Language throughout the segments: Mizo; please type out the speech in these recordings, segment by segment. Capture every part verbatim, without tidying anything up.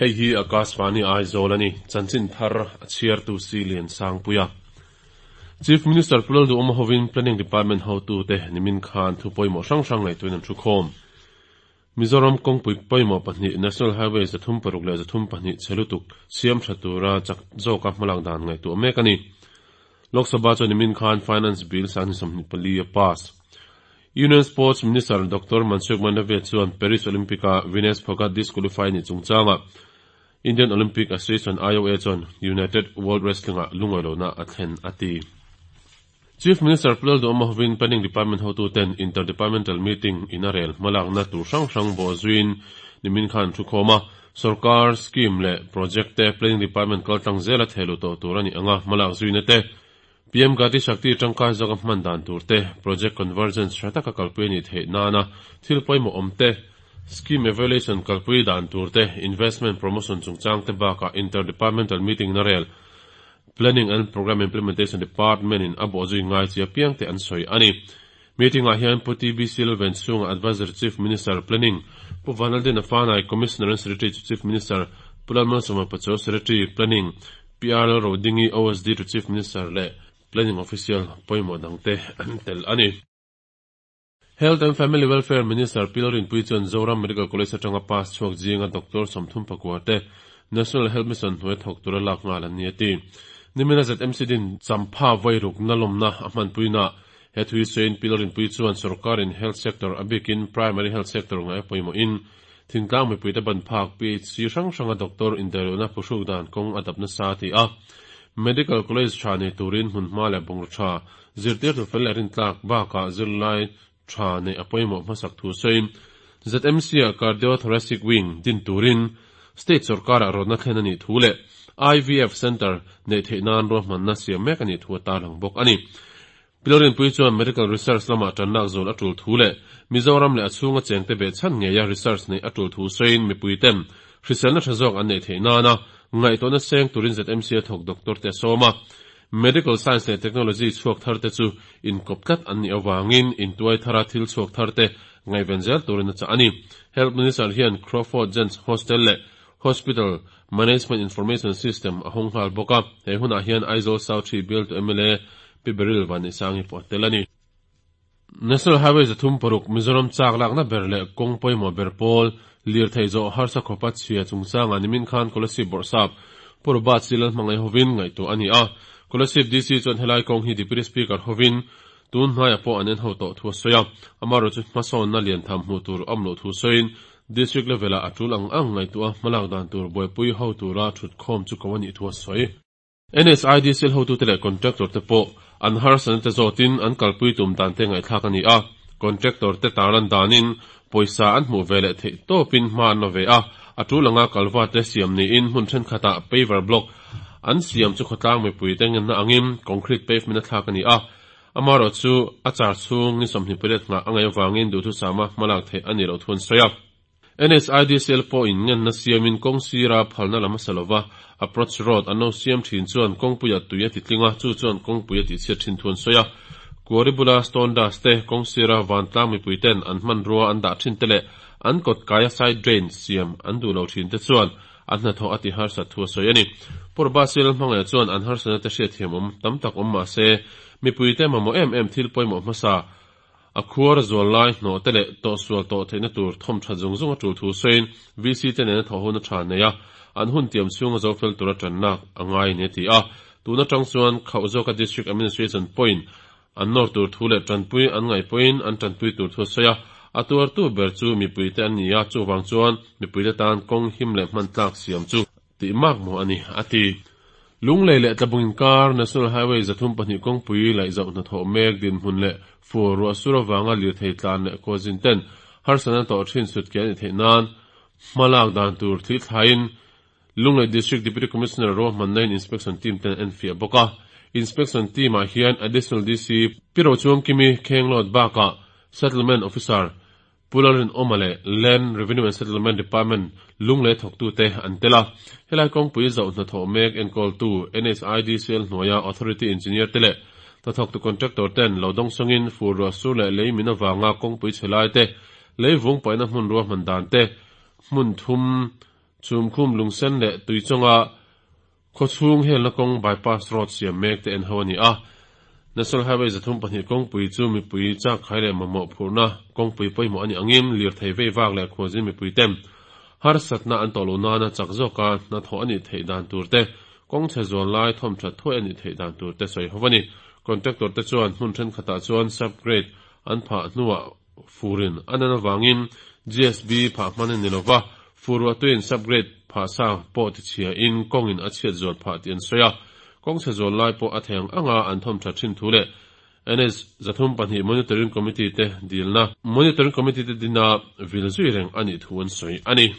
Hei hi Akashvani Aizawl a ni. Chanchin thar a chhiartu si Lian Sangpuia. Chief Minister Pu Lalduhoma hovin Planning Department hotute nimin khan thu pawimawh hrang hrang ngaihtuahin an thu khawm. Mizoram kawngpui pawimawh pahnih National Highway zathum paruk leh zathum pahnih chhe lutuk siam tha tura chak zawka hmalak dan ngaihtuah mek a ni. Lok Sabha chuan nimin khan Finance Bill sanghnih sawmhnih pali a pass. Union Sports Minister Doctor Mansukh Mandaviya chuan Paris Olympic-a Vinesh Phogat disqualify ni chungchanga Indian Olympic Association I O A chuan United World Wrestling-ah lungawi lohna a thlen a ti. Chief Minister Pu Lalduhoma hovin Planning Department hotuten Interdepartmental Meeting in a rel hmalakna tur hrang hrang bawh zuiin nimin khan thu khawm a. Sarkar scheme leh project te Planning Department kaltlang zela thehluh tawh tur a ni anga hmalak zuina te, P M Gati Shakti tangkai zawka hman dan tur te, project convergence tha taka kalpui a nih theih nana thil pawimawh awm te, scheme evaluation kalpui dan tur te, investment promotion chungchang te bakah interdepartmental meeting na rel Planning and Programme Implementation Department in a bawh zui ngai chi apiang te an sawi a ni. Meeting ah hian Pu T B C Lalvenchhunga, Advisor Chief Minister Planning, Pu Vanlaldina Fanai, Commissioner and Secretary to Chief Minister, Pu Lalmalsawma Pachuau, Secretary Planning, P R Rodingi, O S D to Chief Minister leh Planning Official pawimawh dangte an tel a ni. Health and Family Welfare Minister Pi Lalrinpuii chuan Zoram Medical College atanga pass chhuak zinga Doctor sawmthum pakua te National Health Mission hnuai thawk tura lak nghal an ni a ti. Nimina Z M C din champha vairuk na lawmna a hmanpuina he thui sawiin Pi Lalrinpuii chuan sarkarin health sector a bikin primary health sector ngai pawimawh in thingtlang mipui te ban phak P H C hrang hranga doctor indaihlohna phuhruk dan kawng a dapna sa ti a. Medical College tha nei turin hmunhma leh bungraw tha zirtir tu fel leh rintlak bakah zirlai tha nei a pawimawh hmasak thu sawiin Z M C a cardiothoracic wing din turin state sarkar ah rawtna thlen a nih thu leh I V F Center neih theih nan ruahmanna siam mek a nih thu a tarlang bawk a ni. Pi Lalrinpuii chuan medical research lamah tanlak zawl a tul thu leh Mizoram leh a chhunga chengte beh chhan ngeia research nei a tul thu sawiin mipui ten hriselna tha zawk an neih theih nana ngaihtuahna seng turin Z M C a thawk doctor te a sawm a. Medical science leh technology chhuak thar te chu inkawp tlat an nih awangin intuai thara thil chhuak thar te ngaihven zel turin a chah a ni. Health Minister hian Crawford Gents Hostel leh Hospital Management Information System a hawng nghal bawk a. He hunah hian Aizawl South Three bialtu M L A Pi Baryl Vanneihsangi pawh a tel a ni. National Highway zathum paruk Mizoram chak lakna ber leh kawng pawimawh ber pawl lirthei zawh harsa khawpa chhia chungchanga nimin khan Kolasib Bawrhsap Pu Robert C Lalhmangaih hovin ngaihtuah a ni a. Kolasib D C chuan helai kawng hi Deputy Speaker hovin tun hnaiah pawh an en ho tawh thu a sawi a. Amaherawhchu chu hmasawnna lian tham hmuh tur awm loh thu sawiin district level ah a tul ang ang ngaihtuah hmalak dan tur buaipui ho tura thut khawm chu ko a nih thu a sawi. N H I D C L hotute leh contractor te pawh an harsatna te zawtin an kalpui tum dan te ngaihthlak a ni a. Contractor te tarlan danin pawisa an hmuh ve leh theih tawpin hma an la ve a. A tul anga kalva te siam niin hmun thenkhatah paver block an siam chu khawtlang mipui te ngenna angin concrete pavement a thlak a ni a. Amaherawhchu chu a char chhung ni sawmhnih pariat nghah a ngaih avangin duhthusama hmalak theih a ni loh thu an sawi a. N H I D C L pawh in ngenna siamin kawng sira phalna lam a sa lova approach road an lo siam thin chuan kawngpuia tui a ti tling a, chu chuan kawngpui a tihchhiat thin thu an sawi a. Quarry bula stone dust te, kawng sira vantlang mipui ten an hmanrua an dah thin te leh an kawt kaia side drain siam an duh lo thin te chuan an hnathawh a ti harsat thu a sawi a ni. Pu Robert C Lalhmangaih chuan an harsatna te hriatthiam awm tam tak awm mah se mipui te mamawh em em thil pawimawh hmasa a khuar zual lai hnawh te leh tawh sual tawh theihna tur thawm tha zung zung a tul thu sawiin V C te nena thawh hun a tha nei a, an hun tiam chhunga zo fel tura tanlak a ngai ni a ti a. Tuna tang chuan khauh zawka district administration point an nawr tur thu leh tanpui an ngaih pawhin an tanpui tur thu a sawi a. A tuar tu ber chu mipui te an ni a, chuwang chuan mipui te tan kawng him leh hman tlak siam chu tih mak mu a ni a ti. Lunglei leh Tlabung inkar National Highway zathum pahnih kawngpui laih zauh hnathawh mek dinhmun leh fur ruah sur awanga lirthei tlan leh khualzin ten harsatna tawh thin sut ke a ni theih nan hmalak dan tur thli thlaiin Lunglei District Deputy Commissioner ruahmanna in inspection team ten an enfiah bawk a. Inspection team ah hian Additional D C Pi Rochuangkimi Khenglawt bakah Settlement Officer Pu Lalrinawma leh Land Revenue and Settlement Department Lunglei thawktute an tel a. Helai kawngpui zauh hnathawh mek enkawltu N H I D C L hnuaia Authority Engineer te leh hnathawktu contractor ten lo dawng sawngin fur ruah sur leh lei min awanga kawngpui chhe lai te, lei vung paihna hmun ruahman dan te, hmun thum Chhumkhum Lungsen leh Tuichawnga khawchhung helna kawng bypass road siam mek te en ho a ni a. National Highway zathum pahnih kawngpui chu mipui chak khai leh mamawh phurhna kawngpui pawimawh a nih angin lirthei vei vak leh khuazin mipui ten harsatna an tawh loh nana chak zawka hnathawh a nih theih dan tur te, kawng chhe zual lai thawm that thuai a nih theih dan tur te sawi ho a ni. Contractor te chuan hmun thenkhatah chuan subgrade an phah hnuah furin a nan avangin G S B phah hman a ni lova, fur ruah tuin subgrade phah sa pawh tichhiain kawngin a chhiat zual phah tih an sawi a. Kawng chhe zual lai pawh a theng anga an thawm that thin thu leh N S zathum pahnih Monitoring Committee te dilna Monitoring Committee te dina vil zui reng a nih thu an sawi a ni.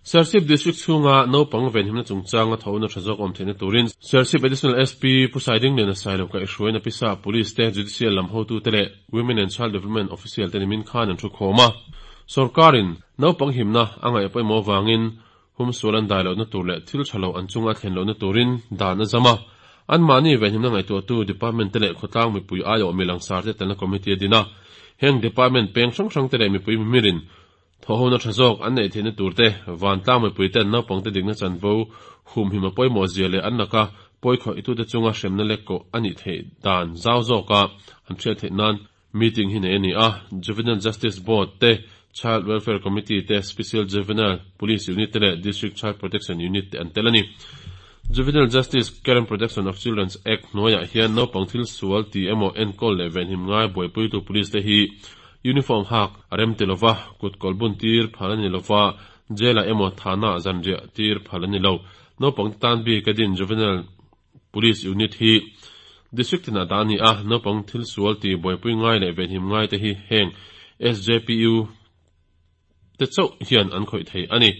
Serchhip District chhunga naupang venhimna chungchanga thawhna tha zawk awm theihna turin Serchhip Additional S P Pu Saiding Lian a Sailo kaihhruaina pisa Police te Judicial lam hotu te leh Women and Child Development Official te nimin khan an thu khawm a. Sarkarin naupang himna a ngaih pawimawh avangin humsual an dai lohna tur leh thil tha lo an chunga thlen lohna turin dan a zam a. Anmahni venhimna ngaihtuahtu department te leh khawtlang mipui aiawh milangsar te telna committee a din a. Heng department peng hrang hrang te leh mipui mimirin thawhhona tha zawk an neih theihna tur te, vantlang mipui ten naupang te dikna chanvo humhim a pawimawh zia leh an laka pawikhawih itute chunga hremna lek kawh a nih theih dan zau zawka an hriat theih nan meeting hi nei a ni a. Juvenile Justice Board te, Child Welfare Committee te, Special Juvenile Police Unit te leh District Child Protection Unit te an tel a ni. Juvenile Justice Care and Protection of Children's Act hnuaiah hian naupang thil sual ti emaw enkawl leh venhim ngai buaipuitu police te hi uniform hak a rem ti lova, kut kawl bun tir phal a ni lova, jail ah emaw thana zanriah tir phal a ni lo. Naupang te tan bik a din Juvenile Police Unit hi District tinah dah a ni a, naupang thil sual ti buaipui ngai leh venhim ngai te hi heng S J P U te chauh hian an khawih thei a ni.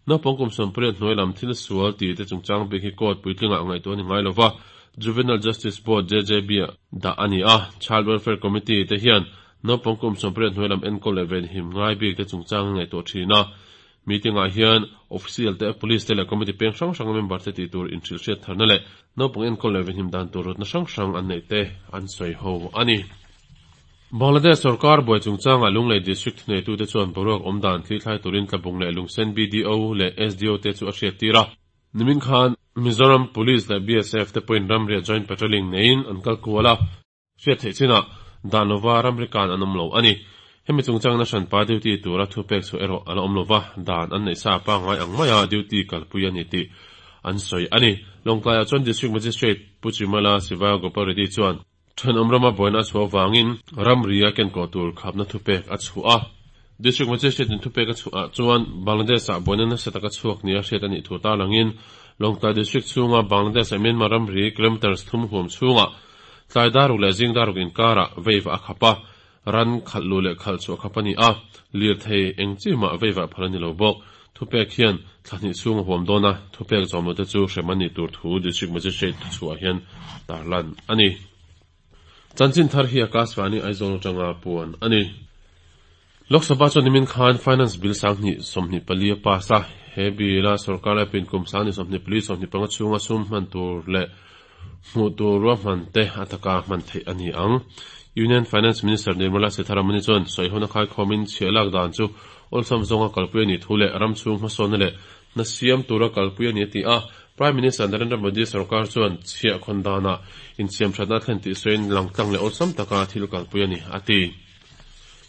Naupang kum sawmpariat hnuai lam thil sual ti te chungchang bik hi court puitlingah ngaihtuah a ni ngai lova, Juvenile Justice Board J J B ah dah a ni a. Child Welfare Committee te hian naupang kum sawmpariat hnuai lam enkawl leh venhim ngai bik te chungchang ngaihtuah thin a. Meeting ah hian official te, police te leh committee peng hrang hrang member te tih tur inhrilh hriat tharna leh naupang enkawl leh venhim dan tur rawtna hrang hrang an neih te an sawi ho a ni. Bangladesh sarkar buai chungchanga Lunglei District thuneitute chuan boruak awm dan thli thlai turin Tlabung leh Lungsen B D O leh S D O te chu a hriat tir a. Nimin khan Mizoram Police leh B S F te pawhin ramriah joint patrolling neiin an kal kual a. Hriat theih chinah dan lova ramri kan an awm lo a ni. Hemi chungchangna hranpa duty tura thupek chu erawh a la awm lova, dan an neih sa pangngai ang maia duty kalpui a ni tih an sawi a ni. Lawngtlaiah chuan District Magistrate Pu Chimala Siva Gopal Reddy chuan thenawm rama buaina a chhuah avangin ramri a kenkawh tur khapna thupek a chhuah a. District Magistrate in thupek a chhuah chuan Bangladesh ah buaina nasa taka chhuak ni a hriat a nih thu tarlangin Lawngtlai District chhunga Bangladesh ah Myanmar ramri kilometers thum huam chhungah tlai daruk leh zing daruk inkarah veiva a khap a, ran khalh lu leh khalh chhuah khap a ni a, lirthei eng chi mah veiva phal a ni lo bawk. Thupek hian thlahnih chhung a huam dawn a, thupek zawm lo te chu hrem a nih tur thu District Magistrate thuchhuah hian tarlan a ni. Chanchin thar hi Akashvani Aizawl atanga puan a ni. Lok Sabha chuan nimin khan Finance Bill sanghnih sawmhnih pali a pass a, he bill a sarkar lai pin kum sanghnih sawmhnih pali sawmhnih panga chhunga sum hman tur leh hmuh tur ruahman te a taka hman theih a ni ang. Union Finance Minister Nirmala Sitharaman chuan sawihona khai khawmin chhiah lak dan chu awlsam zawnga kalpui a nih thu leh ram chhung hmasawnna leh hna siam tura kalpui a ni a ti a. Prime Minister Narendra Modi sarkar chuan chhiah khawn danah insiam thatna thlen tih sawiin langtlang leh awlsam taka thil kalpui a ni a ti.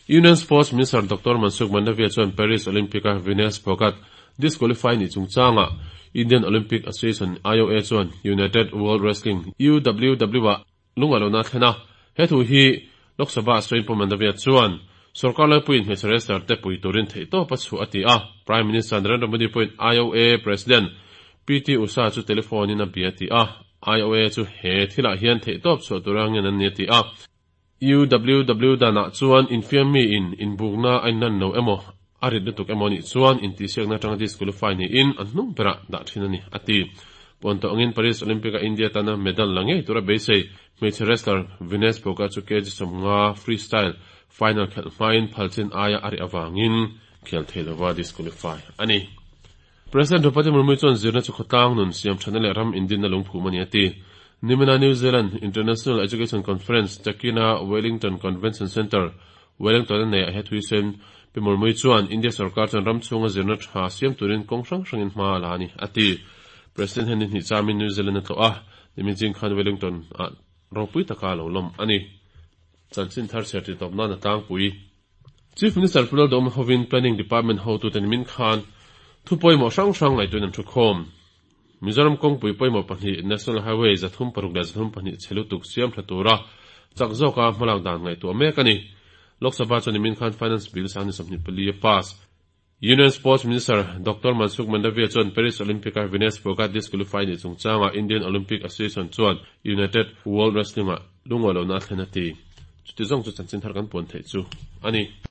Union Sports Minister Doctor Mansukh Mandaviya chuan Paris Olympic-a Vinesh Phogat disqualify ni chungchanga Indian Olympic Association I O A chuan United World Wrestling U W W ah lunga lohna thlen a. He thu hi Lok Sabha sawiin Pu Mandaviya chuan sarkar laipuiin hmeichhe wrestler te pui turin theih tawp a chhuah a ti a. Prime Minister Narendra Modi pawhin I O A President P T Usha chu telephone in a bia ti a. I O A chu he thilah hian theih tawp chhuah tura ngen an ni a ti a. U W W danah chuan infiam mi in inbukna a inlan lo emaw a rit lutuk emaw nih chuan intihsiakna atanga disqualify niin an hnung berah dah thin a ni a ti. Puan tawh angin Paris Olympic a India tana medal la ngei tura beisei hmeichhe wrestler Vinesh Phogat chu K G sawmnga freestyle final khelh hmain phalchin aia a ri awangin khel thei lova disqualify a ni. President Draupadi Murmu chuan zirna chu khawtlang nun siam thana leh ram indinna lungphum a ni a ti. Nimina New Zealand International Education Conference Takina Wellington Convention Centre Wellington nei a he thuisen Pi Murmu chuan India sarkar chuan ram chhunga zirna tha siam turin kawng hrang hrangin hma la ani ati. President hen ni chamin New Zealand a a nimin jing khan Wellington a ropui taka lo lom ani. Chanchin thar cher ti top na na tang pui. Chief Minister Pu Lalduhoma hovin Planning Department hotu ten min khan thu pawimawh hrang hrang ngaihtuahin an thu khawm. Mizoram kawngpui pawimawh pahnih National Highway zathum paruk leh zathum pahnih chhe lutuk siam tha tura chak zawka hmalak dan ngaihtuah mek ani. Lok Sabha chuan nimin khan Finance Bill sang ni sawmhnih pali a pass. Union Sports Minister Doctor Mansukh Mandaviya chuan Paris Olympic a Vinesh Phogat disqualify ni chungchanga Indian Olympic Association chuan United World Wrestling ah lungawi lohna a thlen a ti. Chuti zawng chu chanchin thar kan puan theih chu ani.